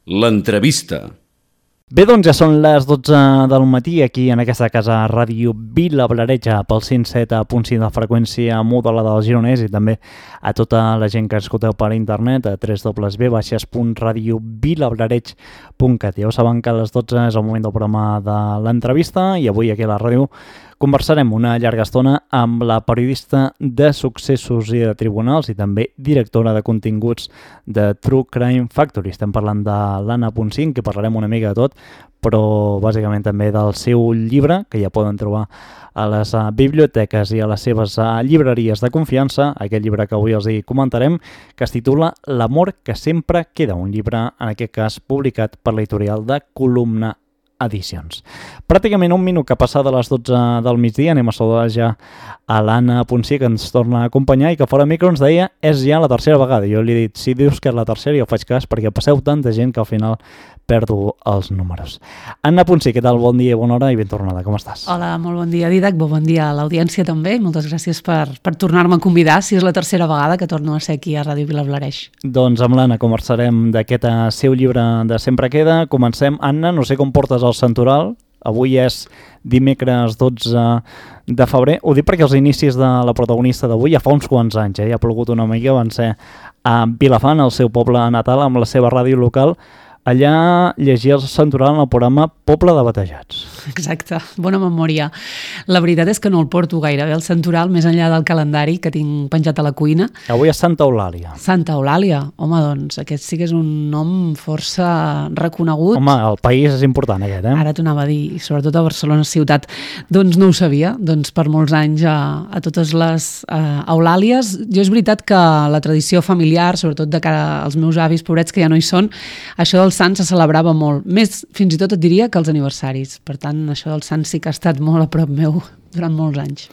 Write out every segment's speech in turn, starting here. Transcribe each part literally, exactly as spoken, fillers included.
L'entrevista. Bé, doncs ja són les dotze del matí aquí en aquesta casa Ràdio Vilablareix pel cent set punt cinc de freqüència modulada del Gironès i també a tota la gent que escolteu per internet a w w w punt radio vilablareix punt cat. Ja ho saben que a les dotze és el moment del programa de l'entrevista i avui aquí a la ràdio conversarem una llarga estona amb la periodista de successos i de tribunals i també directora de continguts de True Crime Factory. Estem parlant de l'Anna Poncín, que parlarem una mica de tot, però bàsicament també del seu llibre, que ja poden trobar a les uh, biblioteques i a les seves uh, llibreries de confiança, aquest llibre que avui els hi comentarem, que es titula L'amor que sempre queda, un llibre, en aquest cas, publicat per l'editorial de Columna Edicions. Pràcticament un minut que passa de les dotze del migdia, anem a saludar ja a l'Anna Poncín, que ens torna a acompanyar i que fora micro ens deia és ja la tercera vegada. Jo li he dit, si dius que és la tercera jo faig cas perquè passeu tanta gent que al final perdo els números. Anna Poncín, què tal? Bon dia, bona hora i ben tornada. Com estàs? Hola, molt bon dia, Didac. Bon dia a l'audiència també. Moltes gràcies per, per tornar-me a convidar, si és la tercera vegada que torno a ser aquí a Ràdio Vilablareix. Doncs amb l'Anna conversarem d'aquest seu llibre de Sempre Queda. Comencem. Anna, no sé com portes el santoral. Avui és dimecres dotze de febrer. Ho dic perquè els inicis de la protagonista d'avui ja fa uns quants anys, eh? Ja ha plogut una mica, van ser a Vilafant, el seu poble natal, amb la seva ràdio local. Allà llegia el santoral en el programa Poble de Batejats. Exacte, bona memòria. La veritat és que no el porto gaire bé el santoral, més enllà del calendari que tinc penjat a la cuina. Avui és Santa Eulàlia. Santa Eulàlia, home, doncs aquest sí que és un nom força reconegut. Home, el país és important aquest, eh? Ara t'ho anava a dir, sobretot a Barcelona ciutat. Doncs no ho sabia, doncs per molts anys a, a totes les uh, Eulàlies. Jo és veritat que la tradició familiar, sobretot de cara als meus avis pobrets que ja no hi són, això dels sants se celebrava molt, més fins i tot et diria que els aniversaris. Per tant, això dels sants sí que ha estat molt a prop meu durant molts anys.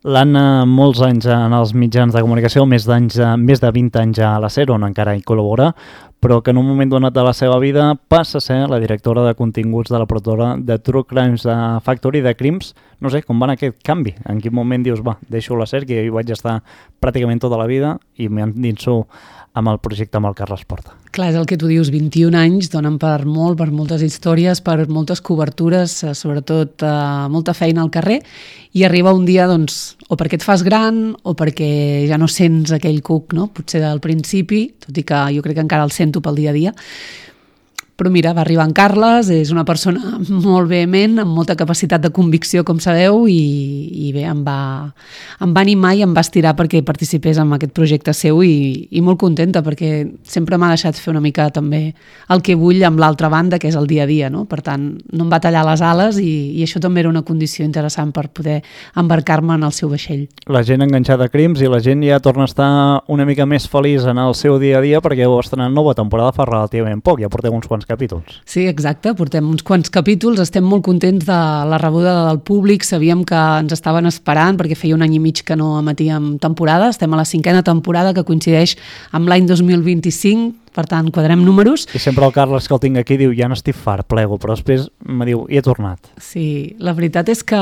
L'Anna, molts anys en els mitjans de comunicació, més, d'anys, més de vint anys a la SER, on encara hi col·labora, però que en un moment donat de la seva vida passa a ser la directora de continguts de la productora de True Crimes Factory, de Crims. No sé, com va anar aquest canvi? En quin moment dius, va, deixo la SER, que jo hi vaig estar pràcticament tota la vida i m'endinso amb el projecte amb el Carles Porta. Clar, és el que tu dius, vint-i-un anys donen per molt, per moltes històries, per moltes cobertures, sobretot eh, molta feina al carrer, i arriba un dia, doncs, o perquè et fas gran o perquè ja no sents aquell cuc, no? Potser del principi, tot i que jo crec que encara el sento pel dia a dia. Però mira, va arribar en Carles, és una persona molt vehement, amb molta capacitat de convicció, com sabeu, i, i bé, em va, em va animar i em va estirar perquè participés en aquest projecte seu i, i molt contenta perquè sempre m'ha deixat fer una mica també el que vull amb l'altra banda, que és el dia a dia, no? Per tant, no em va tallar les ales i, i això també era una condició interessant per poder embarcar-me en el seu vaixell. La gent enganxada a Crims i la gent ja torna a estar una mica més feliç en el seu dia a dia perquè heu estrenat nova temporada fa relativament poc, ja porteu uns quants capítols. Sí, exacte, portem uns quants capítols, estem molt contents de la rebuda del públic, sabíem que ens estaven esperant perquè feia un any i mig que no emetíem temporada, estem a la cinquena temporada que coincideix amb l'any dos mil vint-i-cinc, per tant, quadrem números. I sempre el Carles que el tinc aquí diu, ja n'estic fart, plego, però després me diu, i he tornat. Sí, la veritat és que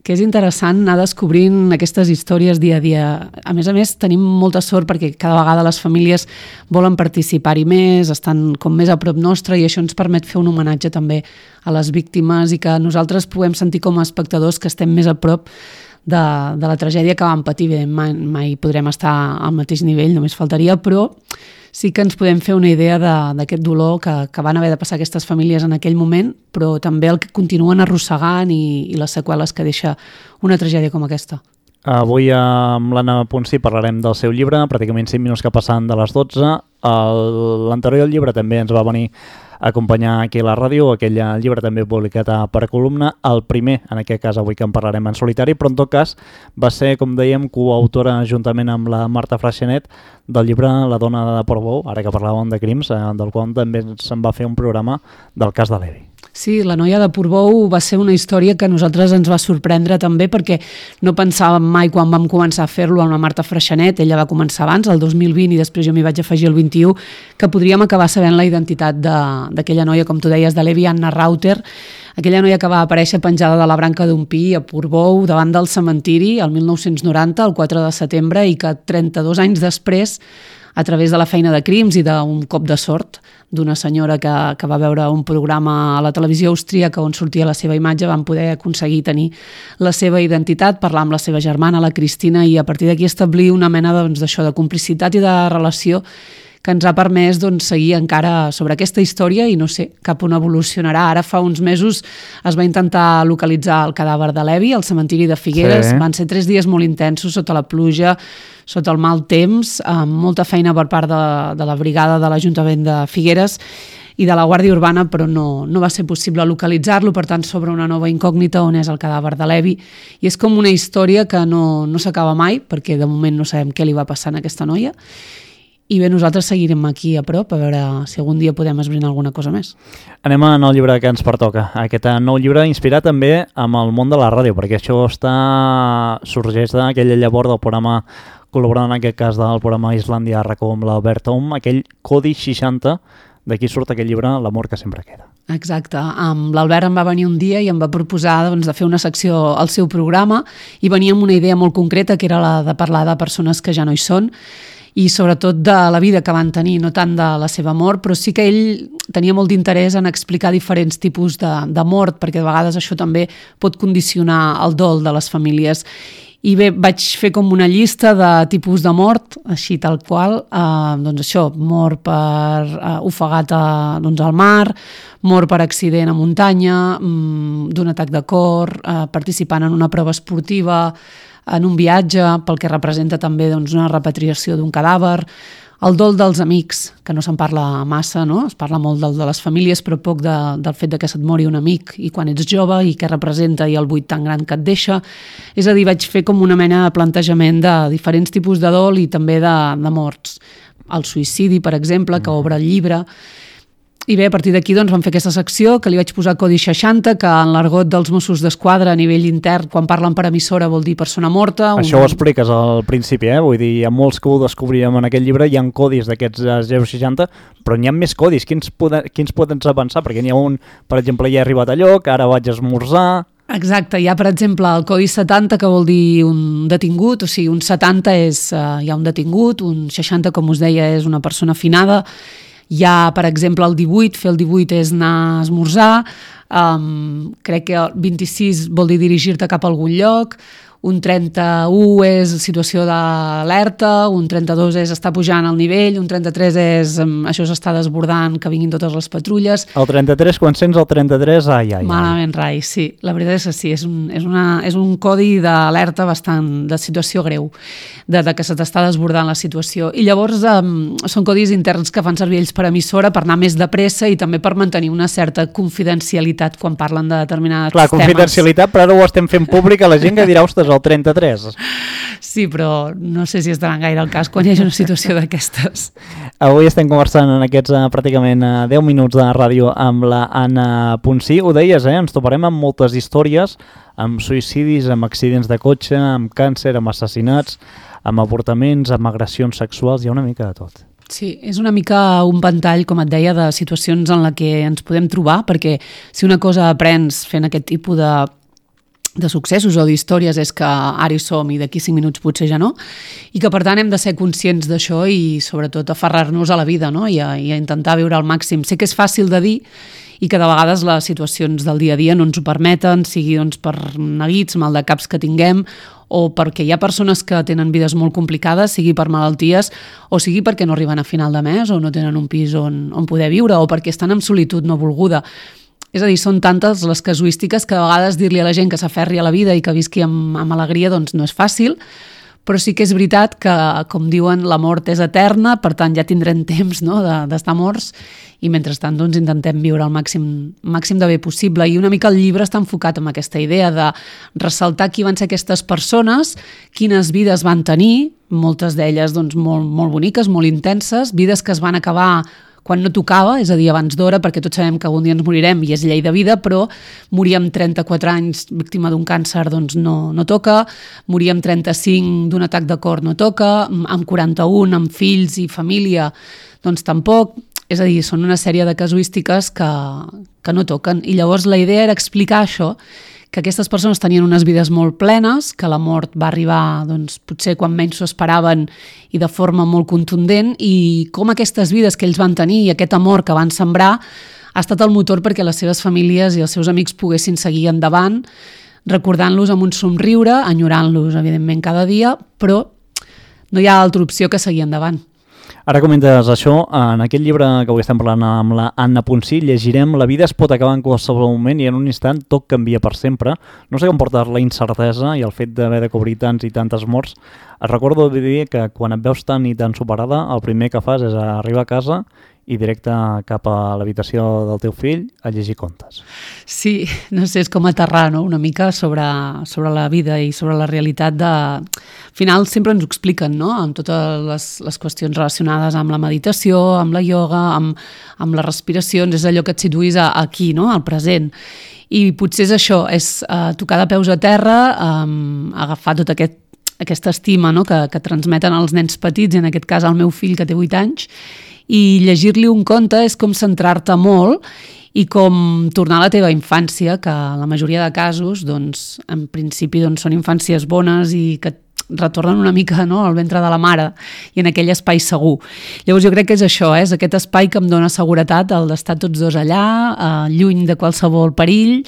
que és interessant anar descobrint aquestes històries dia a dia. A més a més, tenim molta sort perquè cada vegada les famílies volen participar-hi més, estan com més a prop nostre i això ens permet fer un homenatge també a les víctimes i que nosaltres puguem sentir com a espectadors que estem més a prop de, de la tragèdia que vam patir. Bé, mai, mai podrem estar al mateix nivell, només faltaria, però sí que ens podem fer una idea d'aquest dolor que, que van haver de passar aquestes famílies en aquell moment, però també el que continuen arrossegant i, i les seqüeles que deixa una tragèdia com aquesta. Avui amb l'Anna Poncín parlarem del seu llibre, pràcticament cinc minuts que passen de les dotze. L'anterior llibre també ens va venir a acompanyar aquí a la ràdio, aquell llibre també publicat per Columna, el primer, en aquest cas avui que en parlarem en solitari, però en tot cas va ser, com dèiem, coautora juntament amb la Marta Freixenet del llibre La dona de Portbou, ara que parlàvem de crims, del qual també se'n va fer un programa del cas de l'Evi. Sí, La noia de Portbou va ser una història que a nosaltres ens va sorprendre també perquè no pensàvem mai quan vam començar a fer-lo amb la Marta Freixenet, ella va començar abans, el dos mil vint, i després jo m'hi vaig afegir el vint-i-u, que podríem acabar sabent la identitat d'aquella noia, com tu deies, de l'Evi Anna Rauter, aquella noia que va aparèixer penjada de la branca d'un pi a Portbou davant del cementiri el mil nou-cents noranta, el quatre de setembre, i que trenta-dos anys després a través de la feina de crims i d'un cop de sort d'una senyora que, que va veure un programa a la televisió austríaca on sortia la seva imatge, van poder aconseguir tenir la seva identitat, parlar amb la seva germana, la Cristina, i a partir d'aquí establir una mena doncs, d'això, de complicitat i de relació que ens ha permès doncs, seguir encara sobre aquesta història i no sé cap on evolucionarà. Ara fa uns mesos es va intentar localitzar el cadàver de l'Evi al cementiri de Figueres. Sí. Van ser tres dies molt intensos sota la pluja, sota el mal temps, amb molta feina per part de, de la brigada de l'Ajuntament de Figueres i de la Guàrdia Urbana, però no, no va ser possible localitzar-lo, per tant s'obre una nova incògnita on és el cadàver de l'Evi. I és com una història que no, no s'acaba mai, perquè de moment no sabem què li va passar a aquesta noia. I bé, nosaltres seguirem aquí a prop a veure si algun dia podem esbrinar alguna cosa més. Anem al nou llibre que ens pertoca. Aquest nou llibre inspirat també amb el món de la ràdio, perquè això està sorgeix d'aquella llavor del programa, col·laborant en aquest cas del programa Islàndia a RAC1 amb l'Albert Om, aquell Codi seixanta, d'aquí surt aquest llibre, L'amor que sempre queda. Exacte. L'Albert em va venir un dia i em va proposar doncs, de fer una secció al seu programa i venia amb una idea molt concreta, que era la de parlar de persones que ja no hi són, i sobretot de la vida que van tenir, no tant de la seva mort, però sí que ell tenia molt d'interès en explicar diferents tipus de, de mort, perquè de vegades això també pot condicionar el dol de les famílies. I bé, vaig fer com una llista de tipus de mort, així tal qual, eh, doncs això, mort per eh, ofegat a, doncs al mar, mort per accident a muntanya, mm, d'un atac de cor, eh, participant en una prova esportiva, en un viatge, pel que representa també doncs, una repatriació d'un cadàver, el dol dels amics, que no se'n parla massa, no? Es parla molt del de les famílies, però poc de, del fet de que se't mori un amic i quan ets jove i què representa i el buit tan gran que et deixa. És a dir, vaig fer com una mena de plantejament de diferents tipus de dol i també de, de morts. El suïcidi, per exemple, que obre el llibre. I bé, a partir d'aquí doncs, vam fer aquesta secció que li vaig posar Codi seixanta, que en l'argot dels Mossos d'Esquadra a nivell intern, quan parlen per emissora, vol dir persona morta. Això un... ho expliques al principi, eh? Vull dir, hi ha molts que ho descobrirem en aquest llibre, hi ha codis d'aquests zero seixanta, però n'hi ha més codis. Quins, poden, quins podem avançar? Perquè n'hi ha un, per exemple, ja he arribat a lloc, ara vaig a esmorzar... Exacte, hi ha per exemple el Codi setanta, que vol dir un detingut, o sigui, un setanta és, uh, hi ha un detingut, un seixanta, com us deia, és una persona finada. Hi ha, per exemple, el divuit, fer el divuit és anar a esmorzar, um, crec que el vint-i-sis vol dir dirigir-te cap a algun lloc, un trenta-u és situació d'alerta, un trenta-dos és estar pujant al nivell, un trenta-tres és um, això s'està desbordant, que vinguin totes les patrulles. El trenta-tres, quan sents el trenta-tres, ai, ai, ai. Malament rai, sí. La veritat és que sí, és un, és una, és un codi d'alerta bastant, de situació greu, de, de que se t'està desbordant la situació. I llavors um, són codis interns que fan servir ells per emissora per anar més de pressa i també per mantenir una certa confidencialitat quan parlen de determinats Clar, temes. Clar, confidencialitat, però ara ho estem fent públic a la gent que dirà, ostres, el trenta-tres. Sí, però no sé si estaran gaire al cas quan hi hagi una situació d'aquestes. Avui estem conversant en aquests uh, pràcticament uh, deu minuts de ràdio amb la Anna Ponsí. Ho deies, eh? Ens toparem amb moltes històries, amb suïcidis, amb accidents de cotxe, amb càncer, amb assassinats, amb avortaments, amb agressions sexuals, hi ha una mica de tot. Sí, és una mica un ventall, com et deia, de situacions en la que ens podem trobar, perquè si una cosa aprens fent aquest tipus de de successos o d'històries és que ara hi som i d'aquí cinc minuts potser ja no, i que per tant hem de ser conscients d'això i sobretot aferrar-nos a la vida, no? I, a, i a intentar viure al màxim. Sé que és fàcil de dir i que de vegades les situacions del dia a dia no ens ho permeten, sigui doncs, per neguits, mal de caps que tinguem, o perquè hi ha persones que tenen vides molt complicades, sigui per malalties o sigui perquè no arriben a final de mes o no tenen un pis on, on poder viure o perquè estan en solitud no volguda. És a dir, són tantes les casuístiques que de vegades dir-li a la gent que s'aferri a la vida i que visqui amb, amb alegria doncs no és fàcil, però sí que és veritat que, com diuen, la mort és eterna, per tant ja tindrem temps, no?, d'estar morts i mentrestant doncs, intentem viure el màxim, màxim de bé possible. I una mica el llibre està enfocat en aquesta idea de ressaltar qui van ser aquestes persones, quines vides van tenir, moltes d'elles doncs, molt, molt boniques, molt intenses, vides que es van acabar quan no tocava, és a dir, abans d'hora, perquè tots sabem que algun dia ens morirem i és llei de vida, però morir amb trenta-quatre anys víctima d'un càncer doncs no, no toca, morir amb trenta-cinc d'un atac de cor no toca, amb quaranta-un, amb fills i família, doncs tampoc. És a dir, són una sèrie de casuístiques que, que no toquen. I llavors la idea era explicar això, que aquestes persones tenien unes vides molt plenes, que la mort va arribar doncs, potser quan menys s'ho esperaven i de forma molt contundent, i com aquestes vides que ells van tenir i aquest amor que van sembrar ha estat el motor perquè les seves famílies i els seus amics poguessin seguir endavant, recordant-los amb un somriure, enyorant-los, evidentment, cada dia, però no hi ha altra opció que seguir endavant. Ara comentes això, en aquest llibre que avui estem parlant amb la Anna Ponsí, llegirem La vida es pot acabar en qualsevol moment i en un instant tot canvia per sempre. No sé com portar la incertesa i el fet d'haver de cobrir tants i tantes morts. Et recordo de dir que quan et veus tan i tan superada, el primer que fas és arribar a casa i directe cap a l'habitació del teu fill a llegir contes. Sí, no sé, és com aterrar, no?, una mica sobre, sobre la vida i sobre la realitat de... Al final sempre ens ho expliquen, no?, amb totes les, les qüestions relacionades amb la meditació, amb la ioga, amb, amb les respiracions, és allò que et situïs aquí, no?, al present. I potser és això, és uh, tocar de peus a terra, um, agafar tot aquest aquesta estima, no?, que, que transmeten els nens petits, i en aquest cas el meu fill que té vuit anys, i llegir-li un conte és com centrar-te molt i com tornar a la teva infància, que en la majoria de casos, doncs, en principi doncs, són infàncies bones i que retornen una mica, no?, al ventre de la mare i en aquell espai segur. Llavors jo crec que és això, eh? És aquest espai que em dona seguretat, el d'estar tots dos allà, eh, lluny de qualsevol perill,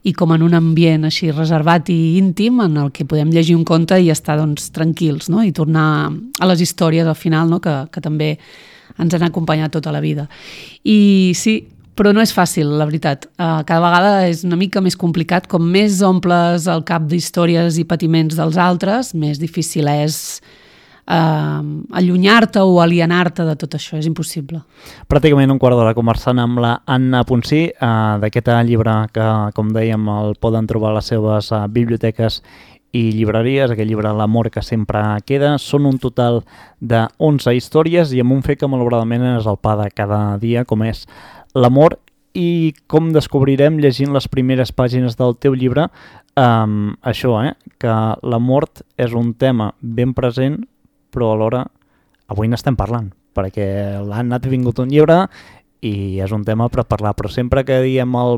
i com en un ambient així reservat i íntim en el que podem llegir un conte i estar doncs, tranquils, no?, i tornar a les històries al final, no?, que, que també ens han acompanyat tota la vida. I sí, però no és fàcil, la veritat. Uh, cada vegada és una mica més complicat. Com més omples el cap d'històries i patiments dels altres, més difícil és uh, allunyar-te o alienar-te de tot això. És impossible. Pràcticament un quart d'hora conversant amb la Anna Ponsí uh, d'aquest llibre que, com dèiem, el poden trobar a les seves uh, biblioteques i llibreries, aquest llibre L'amor que sempre queda. Són un total de onze històries i amb un fet que malauradament és el pa de cada dia, com és l'amor, i com descobrirem llegint les primeres pàgines del teu llibre um, això, eh, que la mort és un tema ben present, però alhora avui n'estem parlant, perquè l'Anna ha vingut un llibre i és un tema per parlar, però sempre que diem el,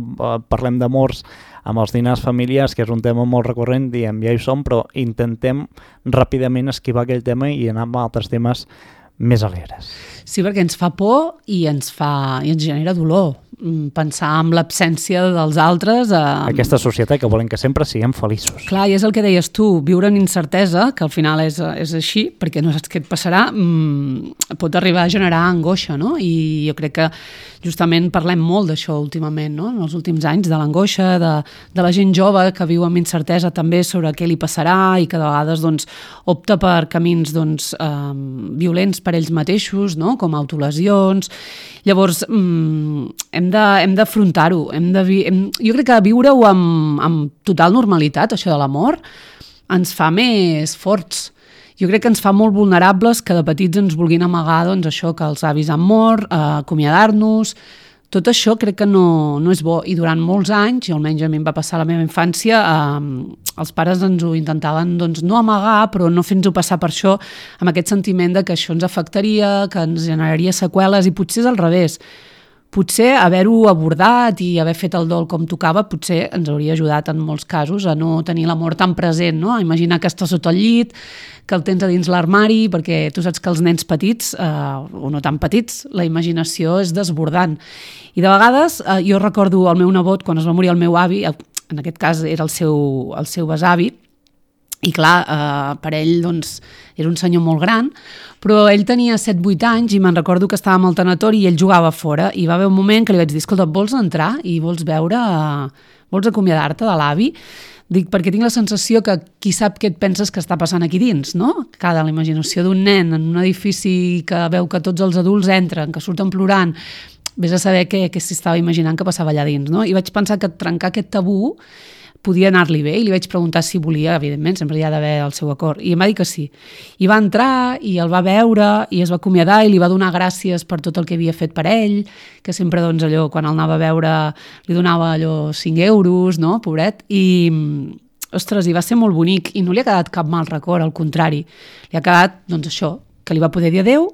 parlem d'amors amb els dinars familiars, que és un tema molt recurrent, diem ja hi som, però intentem ràpidament esquivar aquell tema i anar amb altres temes més alegres. Sí, perquè ens fa por i ens fa i ens genera dolor pensar en l'absència dels altres. Eh... Aquesta societat que volen que sempre siguem feliços. Clar, i és el que deies tu, viure en incertesa, que al final és, és així, perquè no saps què et passarà, mmm, pot arribar a generar angoixa, no? I jo crec que justament parlem molt d'això últimament, no?, en els últims anys, de l'angoixa, de, de la gent jove que viu amb incertesa també sobre què li passarà i que de vegades doncs, opta per camins doncs, eh, violents per ells mateixos, no?, com autolesions. Llavors, mmm, hem de, hem d'afrontar-ho. Hem de vi- hem, jo crec que viure-ho amb, amb total normalitat, això de l'amor, ens fa més forts. Jo crec que ens fa molt vulnerables que de petits ens vulguin amagar doncs, això, que els avis han mort, eh, acomiadar-nos. Tot això crec que no, no és bo. I durant molts anys, i almenys a mi em va passar a la meva infància, eh, els pares ens ho intentaven doncs, no amagar, però no fer-nos-ho passar per això, amb aquest sentiment de que això ens afectaria, que ens generaria seqüeles, i potser és al revés. Potser haver-ho abordat i haver fet el dol com tocava potser ens hauria ajudat en molts casos a no tenir l'amor tan present, no? A imaginar que estàs sota el llit, que el tens a dins l'armari, perquè tu saps que els nens petits, eh, o no tan petits, la imaginació és desbordant. I de vegades, eh, jo recordo el meu nebot, quan es va morir el meu avi, en aquest cas era el seu, el seu besavi, i clar, eh, per ell doncs, era un senyor molt gran, però ell tenia set vuit anys i me'n recordo que estàvem al tanatori i ell jugava fora, i va haver un moment que li vaig dir, escolta, vols entrar i vols veure, vols acomiadar-te de l'avi? Dic, perquè tinc la sensació que qui sap què et penses que està passant aquí dins, no? Cada la imaginació d'un nen en un edifici que veu que tots els adults entren, que surten plorant, vés a saber què, què s'estava imaginant que passava allà dins, no? I vaig pensar que trencar aquest tabú podia anar-li bé, i li vaig preguntar si volia, evidentment, sempre hi ha d'haver el seu acord, i em va dir que sí. I va entrar, i el va veure, i es va acomiadar, i li va donar gràcies per tot el que havia fet per ell, que sempre, doncs, allò, quan el anava a veure, li donava allò cinc euros, no?, pobret, i, ostres, i va ser molt bonic, i no li ha quedat cap mal record, al contrari, li ha quedat, doncs, això, que li va poder dir adeu,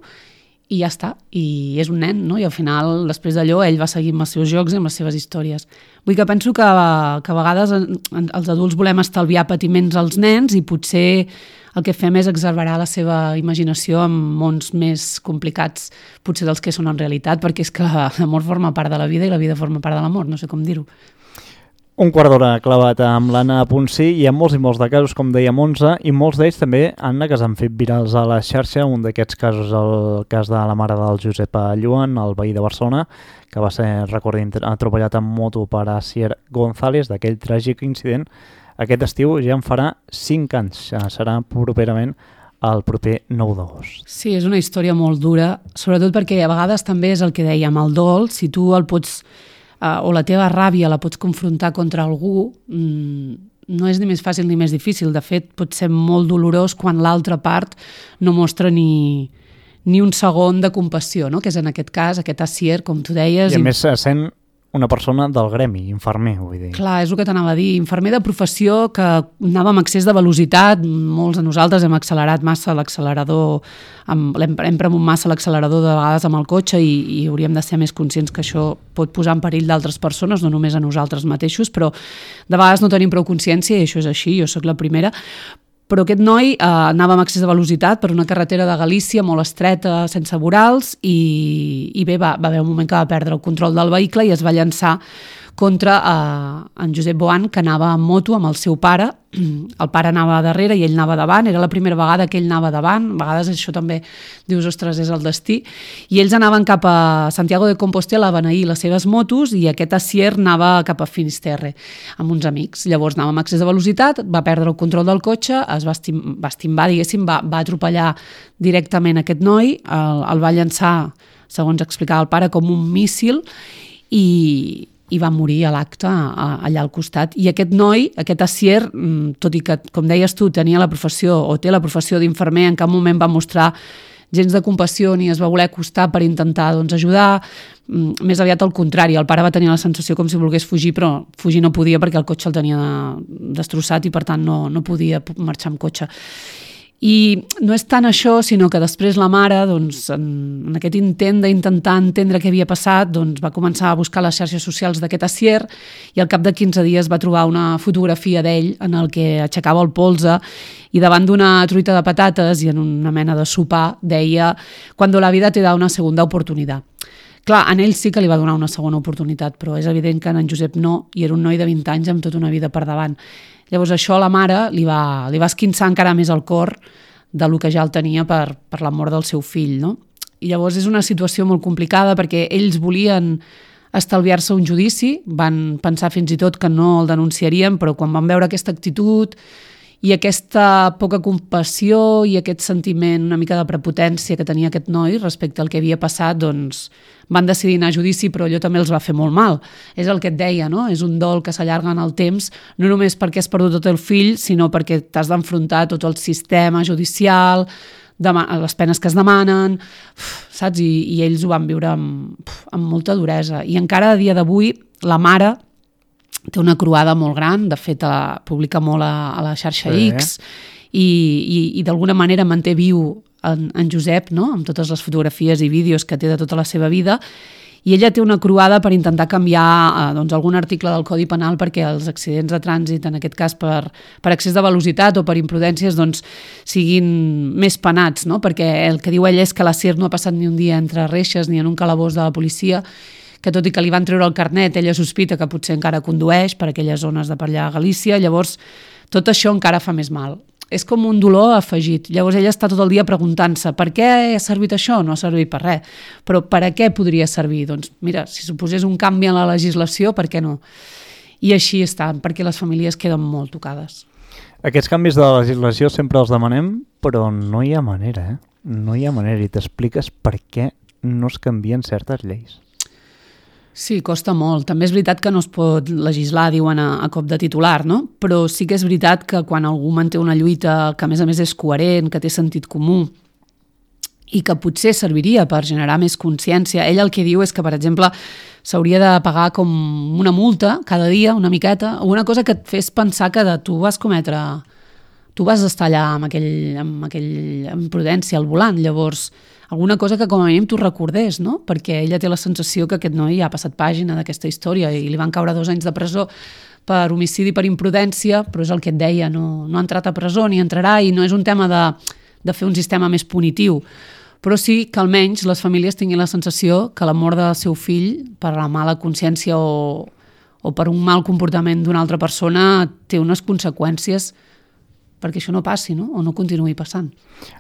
i ja està, i és un nen, no? I al final, després d'allò, ell va seguir amb els seus jocs i amb les seves històries. Vull que penso que, que a vegades els adults volem estalviar patiments als nens i potser el que fem és exagerar la seva imaginació en mons més complicats, potser dels que són en realitat, perquè és que l'amor forma part de la vida i la vida forma part de l'amor, no sé com dir-ho. Un quart d'hora clavat amb l'Anna Ponsí. Hi ha molts i molts de casos, com deia Montse, i molts d'ells també, Anna, que s'han fet virals a la xarxa. Un d'aquests casos, el cas de la mare del Josep Lluan, el veí de Barcelona, que va ser, recordem, atropellat en moto per Asier González, d'aquell tràgic incident. Aquest estiu ja en farà cinc anys. Serà properament el proper nou d'agost. Sí, és una història molt dura, sobretot perquè a vegades també és el que dèiem, el dol, si tu el pots... Uh, o la teva ràbia la pots confrontar contra algú, mm, no és ni més fàcil ni més difícil. De fet, pot ser molt dolorós quan l'altra part no mostra ni, ni un segon de compassió, no? Que és en aquest cas, aquest Asier, com tu deies. I a més sent una persona del gremi, infermer, vull dir. Clar, és el que t'anava a dir. Infermer de professió que anava amb excés de velocitat. Molts de nosaltres hem accelerat massa l'accelerador, hem, hem premut massa l'accelerador de vegades amb el cotxe i, i hauríem de ser més conscients que això pot posar en perill d'altres persones, no només a nosaltres mateixos, però de vegades no tenim prou consciència i això és així, jo sóc la primera. Però aquest noi eh, anava amb excés de velocitat per una carretera de Galícia molt estreta, sense vorals, i, i bé, va, va haver un moment que va perdre el control del vehicle i es va llançar contra eh, en Josep Boan, que anava en moto amb el seu pare. El pare anava darrere i ell anava davant, era la primera vegada que ell anava davant, a vegades això també dius, ostres, és el destí, i ells anaven cap a Santiago de Compostela a beneir les seves motos i aquest Asier anava cap a Finisterre amb uns amics. Llavors anava amb excés de velocitat, va perdre el control del cotxe, es va, estim, va estimbar, diguéssim, va, va atropellar directament aquest noi, el, el va llançar, segons explicava el pare, com un míssil i i va morir a l'acte allà al costat. I aquest noi, aquest Asier, tot i que, com deies tu, tenia la professió o té la professió d'infermer, en cap moment va mostrar gens de compassió ni es va voler acostar per intentar doncs, ajudar, més aviat al contrari. El pare va tenir la sensació com si volgués fugir, però fugir no podia perquè el cotxe el tenia destrossat i per tant no, no podia marxar amb cotxe. I no és tant això, sinó que després la mare, doncs, en, en aquest intent d'intentar entendre què havia passat, doncs, va començar a buscar les xarxes socials d'aquest Asier i al cap de quinze dies va trobar una fotografia d'ell en el que aixecava el polze i davant d'una truita de patates i en una mena de sopar deia «Cuando la vida te da una segunda oportunidad». Clar, en ell sí que li va donar una segona oportunitat, però és evident que en Josep no, i era un noi de vint anys amb tota una vida per davant. Llavors això a la mare li va, li va esquinçar encara més el cor del que ja el tenia per, per la mort del seu fill, no? I llavors és una situació molt complicada perquè ells volien estalviar-se un judici, van pensar fins i tot que no el denunciarien, però quan van veure aquesta actitud i aquesta poca compassió i aquest sentiment una mica de prepotència que tenia aquest noi respecte al que havia passat, doncs van decidir anar a judici, però allò també els va fer molt mal. És el que et deia, no? És un dol que s'allarga en el temps, no només perquè has perdut tot el fill, sinó perquè t'has d'enfrontar tot el sistema judicial, les penes que es demanen, saps? I, i ells ho van viure amb, amb molta duresa. I encara a dia d'avui la mare té una croada molt gran, de fet la publica molt a, a la xarxa sí. X i, i, i d'alguna manera manté viu en, en Josep, no? Amb totes les fotografies i vídeos que té de tota la seva vida, i ella té una croada per intentar canviar eh, doncs, algun article del Codi Penal perquè els accidents de trànsit, en aquest cas per, per excés de velocitat o per imprudències, doncs, siguin més penats, no? Perquè el que diu ella és que l'Asier no ha passat ni un dia entre reixes ni en un calabós de la policia, que tot i que li van treure el carnet, ella sospita que potser encara condueix per aquelles zones de per allà a Galícia, llavors tot això encara fa més mal. És com un dolor afegit. Llavors ella està tot el dia preguntant-se per què ha servit això? No ha servit per res. Però per a què podria servir? Doncs mira, si suposés un canvi en la legislació, per què no? I així està, perquè les famílies queden molt tocades. Aquests canvis de la legislació sempre els demanem, però no hi ha manera, eh? No hi ha manera, i t'expliques per què no es canvien certes lleis. Sí, costa molt. També és veritat que no es pot legislar, diuen, a, a cop de titular, no? Però sí que és veritat que quan algú manté una lluita que a més a més és coherent, que té sentit comú i que potser serviria per generar més consciència, ell el que diu és que, per exemple, s'hauria de pagar com una multa cada dia, una miqueta, o una cosa que et fes pensar que de tu vas cometre... Tu vas estar allà amb aquell, amb aquell amb prudència al volant, llavors alguna cosa que com a mínim tu recordés, no? Perquè ella té la sensació que aquest noi ja ha passat pàgina d'aquesta història i li van caure dos anys de presó per homicidi per imprudència, però és el que et deia, no, no ha entrat a presó ni entrarà, i no és un tema de, de fer un sistema més punitiu, però sí que almenys les famílies tinguin la sensació que la mort del seu fill per la mala consciència o, o per un mal comportament d'una altra persona té unes conseqüències perquè això no passi, no? O no continuï passant.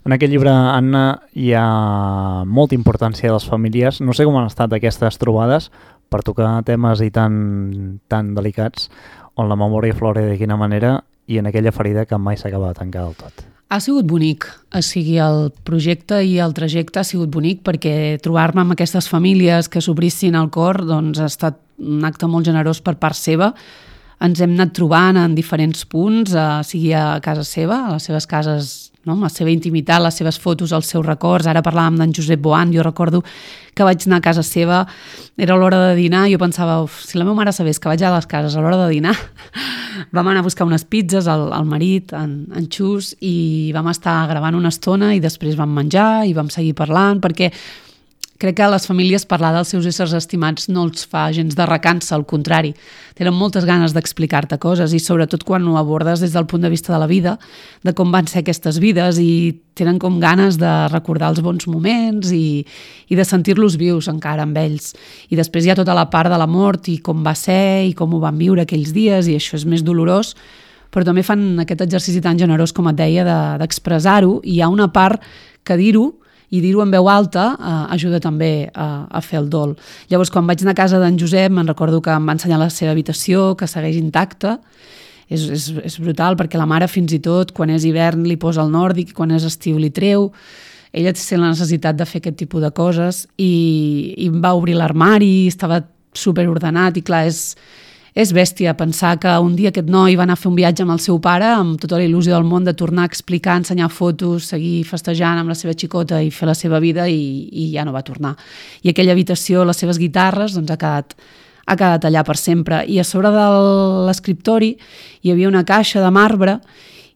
En aquest llibre, Anna, hi ha molta importància de les famílies. No sé com han estat aquestes trobades per tocar temes i tan, tan delicats, on la memòria flora de quina manera i en aquella ferida que mai s'acaba de tancar del tot. Ha sigut bonic, o sigui, el projecte i el trajecte ha sigut bonic perquè trobar-me amb aquestes famílies que s'obrissin el cor doncs ha estat un acte molt generós per part seva. Ens hem anat trobant en diferents punts, eh, sigui a casa seva, a les seves cases, no? Amb la seva intimitat, les seves fotos, els seus records. Ara parlàvem d'en Josep Boan, jo recordo que vaig anar a casa seva, era l'hora de dinar, i jo pensava, uf, si la meva mare sabés que vaig a les cases a l'hora de dinar, vam anar a buscar unes pizzas, el, el marit, en, en Xus, i vam estar gravant una estona i després vam menjar i vam seguir parlant, perquè crec que a les famílies parlar dels seus éssers estimats no els fa gens de recança, al contrari. Tenen moltes ganes d'explicar-te coses i sobretot quan ho abordes des del punt de vista de la vida, de com van ser aquestes vides, i tenen com ganes de recordar els bons moments i, i de sentir-los vius encara amb ells. I després hi ha tota la part de la mort i com va ser i com ho van viure aquells dies, i això és més dolorós, però també fan aquest exercici tan generós, com et deia, de, d'expressar-ho, i hi ha una part que dir-ho i dir-ho en veu alta eh, ajuda també a, a fer el dol. Llavors, quan vaig anar a casa d'en Josep, me'n recordo que em va ensenyar la seva habitació, que segueix intacta. És, és, és brutal, perquè la mare fins i tot, quan és hivern, li posa el nòrdic, i quan és estiu li treu. Ella té la necessitat de fer aquest tipus de coses, i, i em va obrir l'armari, estava superordenat, i clar, és... És bèstia pensar que un dia aquest noi va anar a fer un viatge amb el seu pare amb tota la il·lusió del món de tornar a explicar, ensenyar fotos, seguir festejant amb la seva xicota i fer la seva vida, i, i ja no va tornar. I aquella habitació, les seves guitarres, doncs ha quedat, ha quedat allà per sempre. I a sobre de l'escriptori hi havia una caixa de marbre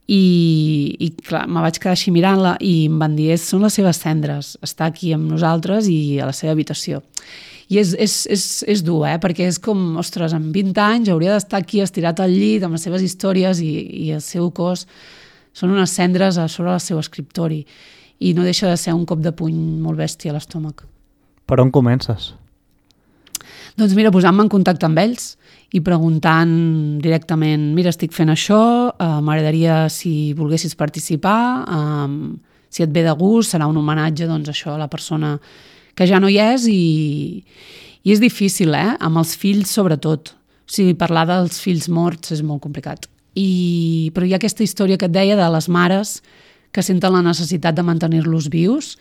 i, i clar, me vaig quedar així mirant-la i em van dir, són les seves cendres, està aquí amb nosaltres i a la seva habitació. I és, és, és, és dur, eh? Perquè és com, ostres, amb vint anys hauria d'estar aquí estirat al llit amb les seves històries i, i el seu cos són unes cendres a sobre el seu escriptori, i no deixa de ser un cop de puny molt bèstia a l'estómac. Per on comences? Doncs mira, posant-me en contacte amb ells i preguntant directament, mira, estic fent això, eh, m'agradaria si volguessis participar, eh, si et ve de gust, serà un homenatge, doncs això, a la persona que ja no hi és, i, i és difícil, eh? Amb els fills sobretot. O sigui, parlar dels fills morts és molt complicat. I, però hi ha aquesta història que et deia de les mares que senten la necessitat de mantenir-los vius,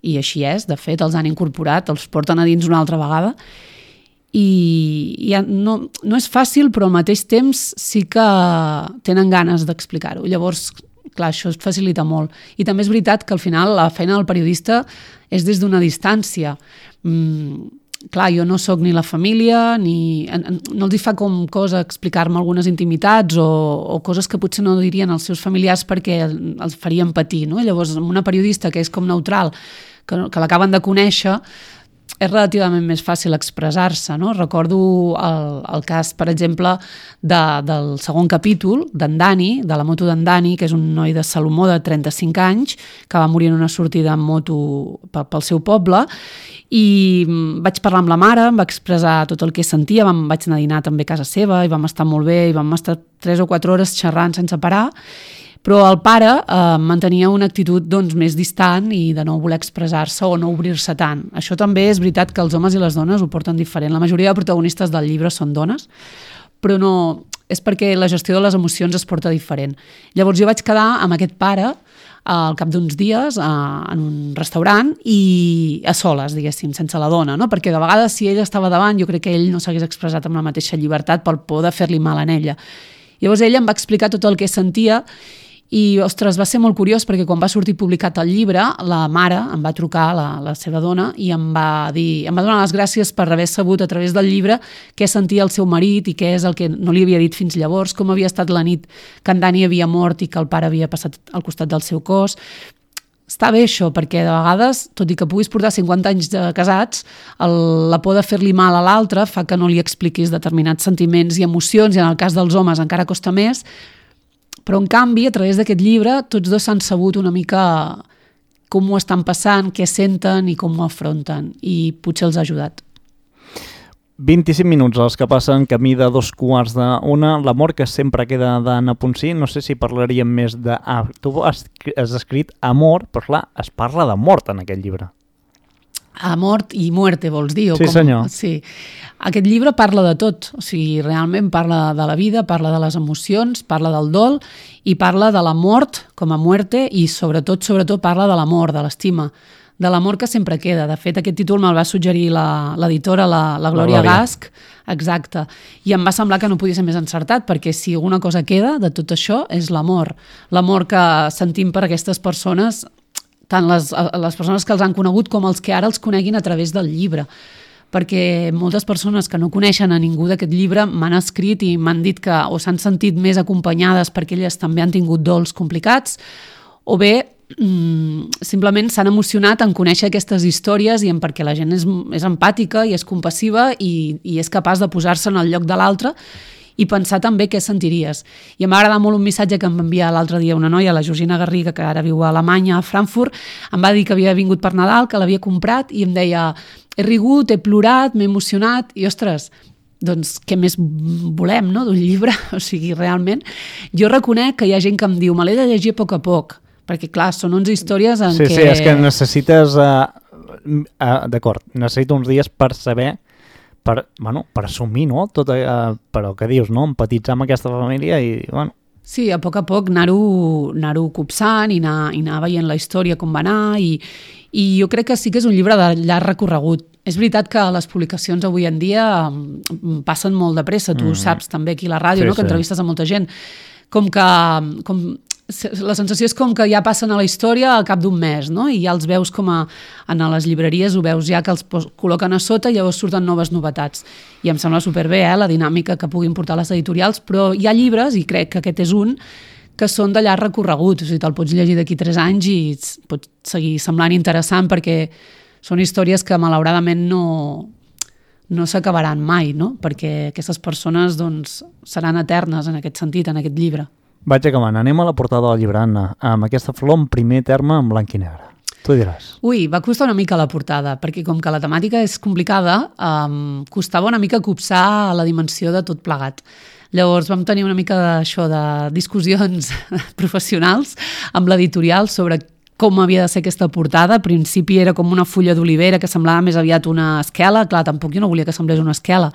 i així és, de fet, els han incorporat, els porten a dins una altra vegada, i, i no, no és fàcil, però al mateix temps sí que tenen ganes d'explicar-ho. Llavors, clar, això es facilita molt. I també és veritat que al final la feina del periodista és des d'una distància. Mm, clar, jo no sóc ni la família, ni... no els hi fa com cosa explicar-me algunes intimitats o, o coses que potser no dirien els seus familiars perquè els farien patir, no? Llavors, amb una periodista que és com neutral, que, que l'acaben de conèixer, és relativament més fàcil expressar-se, no? Recordo el, el cas, per exemple, de, del segon capítol, d'en Dani, de la moto d'en Dani, que és un noi de Salomó de trenta-cinc anys, que va morir en una sortida en moto pel, pel seu poble, i vaig parlar amb la mare, em va expressar tot el que sentia, vam, vaig anar a dinar també a casa seva, i vam estar molt bé, i vam estar tres o quatre hores xerrant sense parar, però el pare eh, mantenia una actitud doncs, més distant i de no voler expressar-se o no obrir-se tant. Això també és veritat que els homes i les dones ho porten diferent. La majoria de protagonistes del llibre són dones, però no, és perquè la gestió de les emocions es porta diferent. Llavors jo vaig quedar amb aquest pare al cap d'uns dies a, en un restaurant i a soles, diguéssim, sense la dona, no? Perquè de vegades si ell estava davant jo crec que ell no s'hagués expressat amb la mateixa llibertat per por de fer-li mal a ella. Llavors ella em va explicar tot el que sentia. I, ostres, va ser molt curiós perquè quan va sortir publicat el llibre, la mare em va trucar, la, la seva dona, i em va dir, em va donar les gràcies per haver sabut a través del llibre què sentia el seu marit i què és el que no li havia dit fins llavors, com havia estat la nit que en Dani havia mort i que el pare havia passat al costat del seu cos. està bé això, perquè de vegades, tot i que puguis portar cinquanta anys de casats, el, la por de fer-li mal a l'altre fa que no li expliquis determinats sentiments i emocions, i en el cas dels homes encara costa més, però en canvi, a través d'aquest llibre, tots dos s'han sabut una mica com ho estan passant, què senten i com ho afronten, i potser els ha ajudat. vint-i-cinc minuts els que passen camí de dos quarts d'una, l'amor que sempre queda d'Anna Ponsí. No sé si parlaríem més de... Ah, tu has, has escrit amor, però clar, es parla de mort en aquest llibre. A mort i muerte, vols dir? O sí, com... senyor. Sí. Aquest llibre parla de tot, o sigui, realment parla de la vida, parla de les emocions, parla del dol i parla de la mort com a muerte i sobretot, sobretot parla de l'amor, de l'estima, de l'amor que sempre queda. De fet, aquest títol me'l va suggerir l'editora, la, la, la Glòria la Gasch, exacte, i em va semblar que no podia ser més encertat, perquè si alguna cosa queda de tot això és l'amor. L'amor que sentim per aquestes persones, tant les, les persones que els han conegut com els que ara els coneguin a través del llibre. Perquè moltes persones que no coneixen a ningú d'aquest llibre m'han escrit i m'han dit que o s'han sentit més acompanyades perquè elles també han tingut dols complicats, o bé simplement s'han emocionat en conèixer aquestes històries i en perquè la gent és, és empàtica i és compassiva i, i és capaç de posar-se en el lloc de l'altre i pensar també què sentiries. I em va agradar molt un missatge que em va enviar l'altre dia una noia, la Georgina Garriga, que ara viu a Alemanya, a Frankfurt, em va dir que havia vingut per Nadal, que l'havia comprat i em deia, he rigut, he plorat, m'he emocionat i, ostres, doncs què més volem, no?, d'un llibre? O sigui, realment, jo reconec que hi ha gent que em diu, me l'he de llegir a poc a poc, perquè, clar, són onze històries en sí, què... Sí, sí, és que necessites... Uh, uh, D'acord, necessito uns dies per saber, per, bueno, per assumir, no?, tot, uh, però què dius, no?, empatitzar amb aquesta família i, bueno... Sí, a poc a poc anar-ho anar-ho copsant i anar, i anar veient la història com va anar i, i jo crec que sí que és un llibre de llarg recorregut. És veritat que les publicacions avui en dia passen molt de pressa, tu mm. saps també aquí a la ràdio, sí, no?, que entrevistes a molta gent, com que... Com, la sensació és com que ja passen a la història al cap d'un mes, no? I ja els veus com a, a les llibreries, ho veus ja que els col·loquen a sota i llavors surten noves novetats. I em sembla superbé, eh, la dinàmica que puguin portar les editorials, però hi ha llibres, i crec que aquest és un, que són de llarg recorregut, o sigui, te'l pots llegir d'aquí tres anys i pot seguir semblant interessant perquè són històries que malauradament no, no s'acabaran mai, no? Perquè aquestes persones doncs, seran eternes en aquest sentit, en aquest llibre. Vaig acabant. Anem a la portada del llibre, Anna, amb aquesta flor en primer terme en blanc i negre. Tu diràs. Ui, va costar una mica la portada, perquè com que la temàtica és complicada, um, costava una mica copsar la dimensió de tot plegat. Llavors vam tenir una mica d'això, de discussions professionals amb l'editorial sobre com havia de ser aquesta portada. Al principi era com una fulla d'olivera que semblava més aviat una esquela. Clar, tampoc jo no volia que semblés una esquela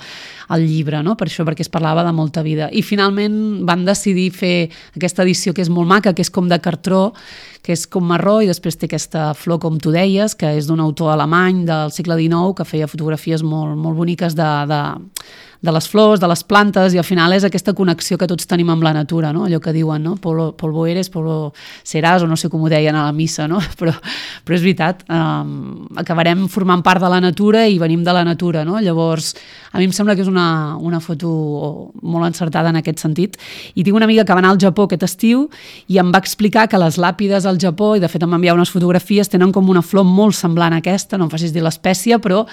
al llibre, no? Per això, perquè es parlava de molta vida. I finalment van decidir fer aquesta edició que és molt maca, que és com de cartró, que és com marró, i després té aquesta flor, com tu deies, que és d'un autor alemany del segle dinou, que feia fotografies molt, molt boniques de, de, de les flors, de les plantes, i al final és aquesta connexió que tots tenim amb la natura, no? Allò que diuen, no? Polvo, polvo eres, polvo seràs, o no sé com ho deien a la missa, no? Però, però és veritat, um, acabarem formant part de la natura i venim de la natura, no? Llavors, a mi em sembla que és una, una foto molt encertada en aquest sentit. I tinc una amiga que va anar al Japó aquest estiu i em va explicar que les làpides al Japó, i de fet em va enviar unes fotografies, tenen com una flor molt semblant a aquesta, no em facis dir l'espècie, però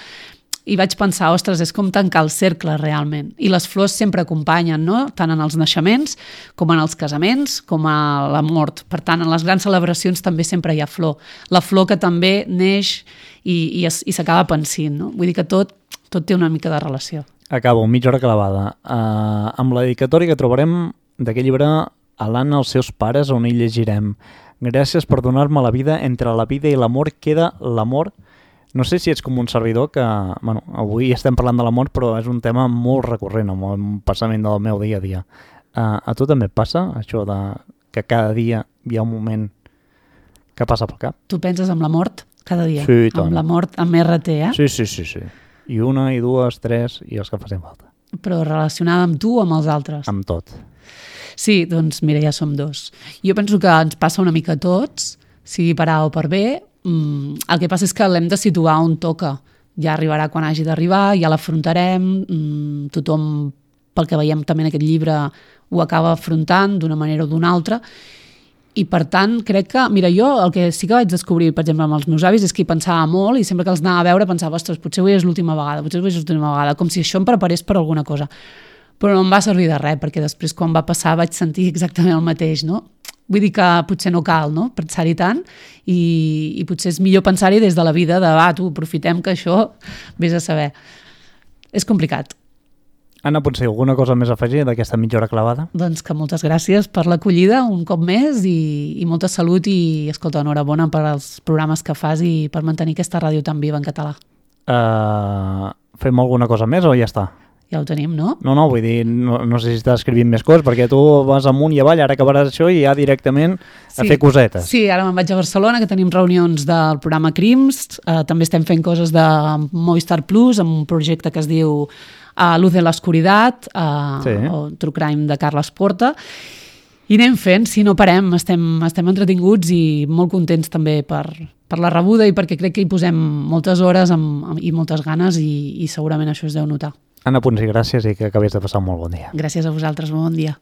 i vaig pensar, ostres, és com tancar el cercle realment. I les flors sempre acompanyen, no?, tant en els naixements, com en els casaments, com a la mort. Per tant, en les grans celebracions també sempre hi ha flor. La flor que també neix i, i, i s'acaba pensint, no? Vull dir que tot, tot té una mica de relació. Acabo, mitja hora clavada. Uh, amb la dedicatòria que trobarem d'aquest llibre a l'Anna, els seus pares, on hi llegirem: gràcies per donar-me la vida, entre la vida i l'amor queda l'amor. No sé si ets com un servidor que, bueno, avui estem parlant de l'amor, però és un tema molt recurrent, amb el passament del meu dia a dia. Uh, a tu també et passa això de que cada dia hi ha un moment que passa pel cap? Tu penses en la mort cada dia? Sí, tant. Amb la mort amb erre te, eh? Sí, sí, sí, sí. I una, i dues, tres, i els que facin falta. Però relacionada amb tu o amb els altres? Amb tot. Sí, doncs mira, ja som dos. Jo penso que ens passa una mica a tots, sigui per A o per B. Mm, el que passa és que l'hem de situar on toca. Ja arribarà quan hagi d'arribar, ja l'afrontarem, mm, tothom, pel que veiem també en aquest llibre, ho acaba afrontant d'una manera o d'una altra, I per tant, crec que, mira, jo el que sí que vaig descobrir, per exemple, amb els meus avis, és que hi pensava molt i sempre que els anava a veure pensava, ostres, potser avui és l'última vegada, potser avui és l'última vegada, com si això em preparés per alguna cosa. Però no em va servir de res, perquè després quan va passar vaig sentir exactament el mateix, no? Vull dir que potser no cal, no?, pensar-hi tant i, i potser és millor pensar-hi des de la vida de, va, tu, aprofitem que això vés a saber. És complicat. Anna, potser alguna cosa més a afegir d'aquesta mitja hora clavada? Doncs que moltes gràcies per l'acollida un cop més i, i molta salut i, escolta, enhorabona per als programes que fas i per mantenir aquesta ràdio tan viva en català. Uh, fem alguna cosa més o ja està? Ja ho tenim, no? No, no, vull dir, no, no sé si estàs escrivint més coses, perquè tu vas amunt i avall, ara acabaràs això i ja directament a sí, fer cosetes. Sí, ara me'n vaig a Barcelona, que tenim reunions del programa Crims, uh, també estem fent coses de Movistar Plus, amb un projecte que es diu a Luz de l'Oscuritat, uh, sí. o True Crime de Carles Porta, i anem fent, si no parem, estem, estem entretinguts i molt contents també per, per la rebuda i perquè crec que hi posem moltes hores amb, amb, i moltes ganes i, i segurament això es deu notar. Anna Ponsí, gràcies i que acabés de passar un molt bon dia. Gràcies a vosaltres, bon dia.